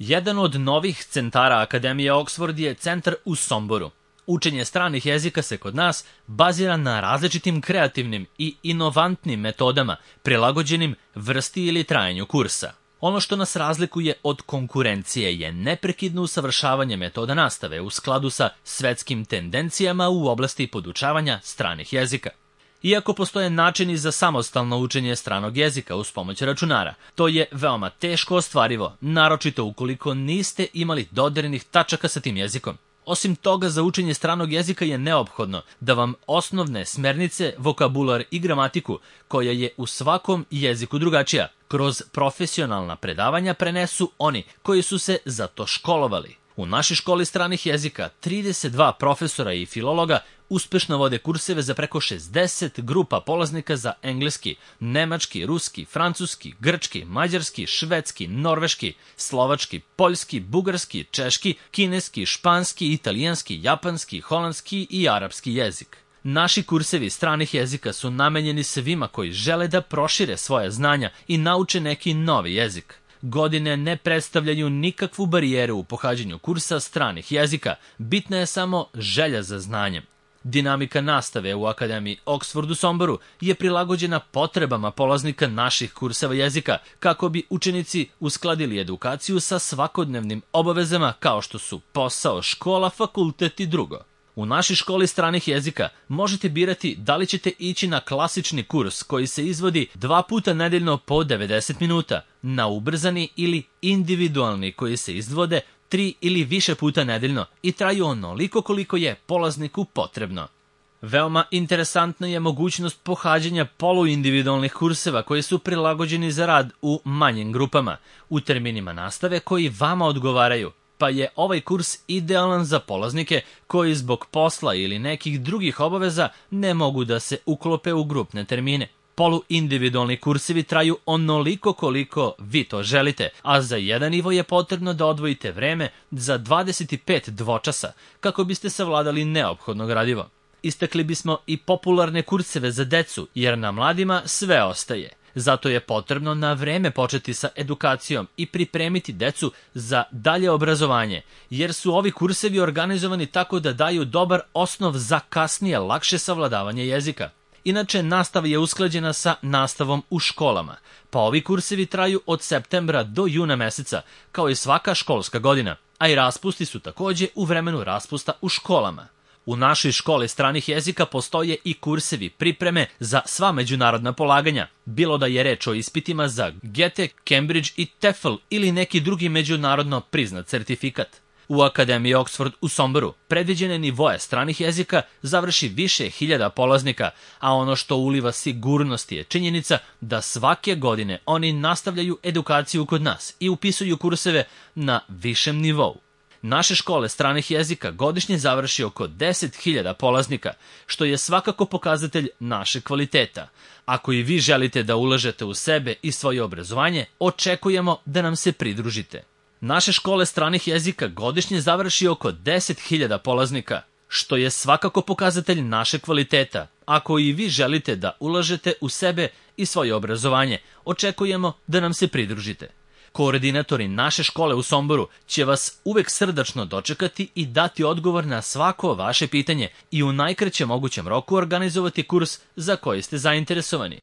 Jedan od novih centara Akademije Oxford je centar u Somboru. Učenje stranih jezika se kod nas bazira na različitim kreativnim i inovantnim metodama, prilagođenim vrsti ili trajanju kursa. Ono što nas razlikuje od konkurencije je neprekidno usavršavanje metoda nastave u skladu sa svetskim tendencijama u oblasti podučavanja stranih jezika. Iako postoje načini za samostalno učenje stranog jezika uz pomoć računara, to je veoma teško ostvarivo, naročito ukoliko niste imali dodirnih tačaka sa tim jezikom. Osim toga, za učenje stranog jezika je neophodno da vam osnovne smernice, vokabular i gramatiku, koja je u svakom jeziku drugačija, kroz profesionalna predavanja prenesu oni koji su se za to školovali. U našoj školi stranih jezika 32 profesora i filologa uspešno vode kurseve za preko 60 grupa polaznika za engleski, nemački, ruski, francuski, grčki, mađarski, švedski, norveški, slovački, poljski, bugarski, češki, kineski, španski, italijanski, japanski, holandski i arapski jezik. Naši kursevi stranih jezika su namenjeni svima koji žele da prošire svoje znanja i nauče neki novi jezik. Godine ne predstavljaju nikakvu barijeru u pohađanju kursa stranih jezika, bitna je samo želja za znanjem. Dinamika nastave u Akademiji Oxford u Somboru je prilagođena potrebama polaznika naših kurseva jezika, kako bi učenici uskladili edukaciju sa svakodnevnim obavezama kao što su posao, škola, fakultet i drugo. U našoj školi stranih jezika možete birati da li ćete ići na klasični kurs koji se izvodi 2 puta nedeljno po 90 minuta, na ubrzani ili individualni koji se izvode 3 ili više puta nedeljno i traju onoliko koliko je polazniku potrebno. Veoma interesantna je mogućnost pohađanja poluindividualnih kurseva koji su prilagođeni za rad u manjim grupama, u terminima nastave koji vama odgovaraju, pa je ovaj kurs idealan za polaznike koji zbog posla ili nekih drugih obaveza ne mogu da se uklope u grupne termine. Poluindividualni kursevi traju onoliko koliko vi to želite, a za jedan nivo je potrebno da odvojite vreme za 25 dvočasa kako biste savladali neophodno gradivo. Istakli bismo i popularne kurseve za decu, jer na mladima sve ostaje. Zato je potrebno na vreme početi sa edukacijom i pripremiti decu za dalje obrazovanje, jer su ovi kursevi organizovani tako da daju dobar osnov za kasnije lakše savladavanje jezika. Inače, nastava je usklađena sa nastavom u školama, pa ovi kursevi traju od septembra do juna meseca, kao i svaka školska godina, a i raspusti su takođe u vremenu raspusta u školama. U našoj školi stranih jezika postoje i kursevi pripreme za sva međunarodna polaganja, bilo da je reč o ispitima za GETE, Cambridge i TEFL ili neki drugi međunarodno priznat certifikat. U Akademiji Oxford u Somboru predviđene nivoje stranih jezika završi više hiljada polaznika, a ono što uliva sigurnost je činjenica da svake godine oni nastavljaju edukaciju kod nas i upisuju kurseve na višem nivou. Naše škole stranih jezika godišnje završi oko 10.000 polaznika, što je svakako pokazatelj našeg kvaliteta. Ako i vi želite da ulažete u sebe i svoje obrazovanje, očekujemo da nam se pridružite. Naše škole stranih jezika godišnje završi oko 10.000 polaznika, što je svakako pokazatelj našeg kvaliteta. Ako i vi želite da ulažete u sebe i svoje obrazovanje, očekujemo da nam se pridružite. Koordinatori naše škole u Somboru će vas uvek srdačno dočekati i dati odgovor na svako vaše pitanje i u najkraćem mogućem roku organizovati kurs za koji ste zainteresovani.